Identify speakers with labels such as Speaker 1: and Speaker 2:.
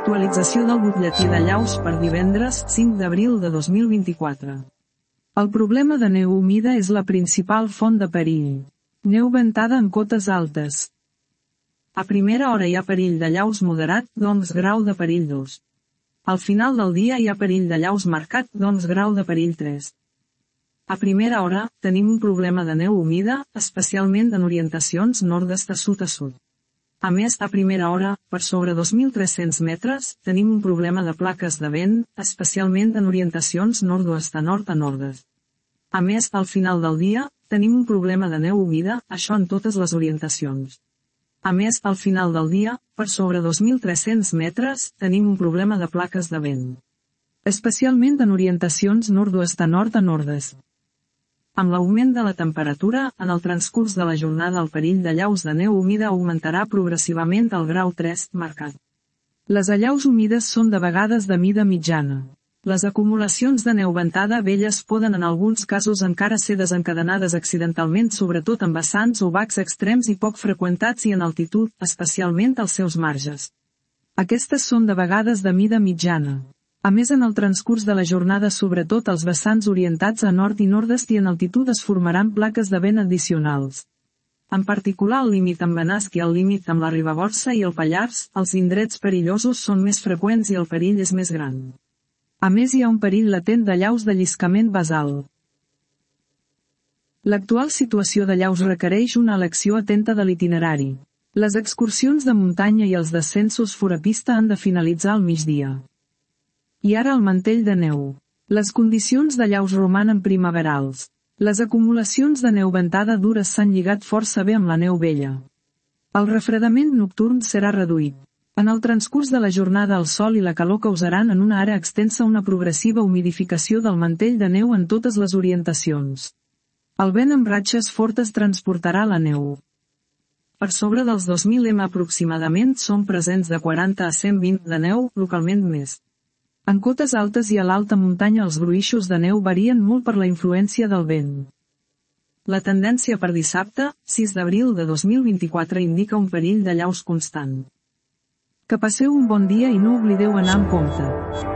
Speaker 1: Actualització del butlletí de llaus per divendres 5 d'abril de 2024. El problema de neu humida és la principal font de perill. Neu ventada en cotes altes. A primera hora hi ha perill de llaus moderat, doncs grau de perill 2. Al final del dia hi ha perill de llaus marcat, doncs grau de perill 3. A primera hora, tenim un problema de neu humida, especialment en orientacions nord-est a sud a sud. A més, a primera hora, per sobre 2.300 metres, tenim un problema de plaques de vent, especialment en orientacions nord-oest a nord a nord-est. A més, al final del dia, tenim un problema de neu humida, això en totes les orientacions. A més, al final del dia, per sobre 2.300 metres, tenim un problema de plaques de vent. Especialment en orientacions nord-oest a nord-est. Amb l'augment de la temperatura, en el transcurs de la jornada el perill de llaus de neu humida augmentarà progressivament al grau 3, marcat. Les allaus humides són de vegades de mida mitjana. Les acumulacions de neu ventada velles poden en alguns casos encara ser desencadenades accidentalment sobretot en vessants o bacs extrems i poc freqüentats i en altitud, especialment als seus marges. Aquestes són de vegades de mida mitjana. A més en el transcurs de la jornada sobretot als vessants orientats a nord i nord-est i en altitud es formaran plaques de vent addicionals. En particular al límit amb Benasc i al límit amb la Ribagorça i el Pallars, els indrets perillosos són més freqüents i el perill és més gran. A més hi ha un perill latent de llaus de lliscament basal. L'actual situació de llaus requereix una elecció atenta de l'itinerari. Les excursions de muntanya i els descensos fora pista han de finalitzar al migdia. I ara el mantell de neu. Les condicions de llaus romanen primaverals. Les acumulacions de neu ventada dures s'han lligat força bé amb la neu vella. El refredament nocturn serà reduït. En el transcurs de la jornada el sol i la calor causaran en una àrea extensa una progressiva humidificació del mantell de neu en totes les orientacions. El vent amb ratxes fortes transportarà la neu. Per sobre dels 2.000 m aproximadament són presents de 40 a 120 de neu, localment més. En cotes altes i a l'alta muntanya els gruixos de neu varien molt per la influència del vent. La tendència per dissabte, 6 d'abril de 2024 indica un perill de llaus constant. Que passeu un bon dia i no oblideu anar amb compte.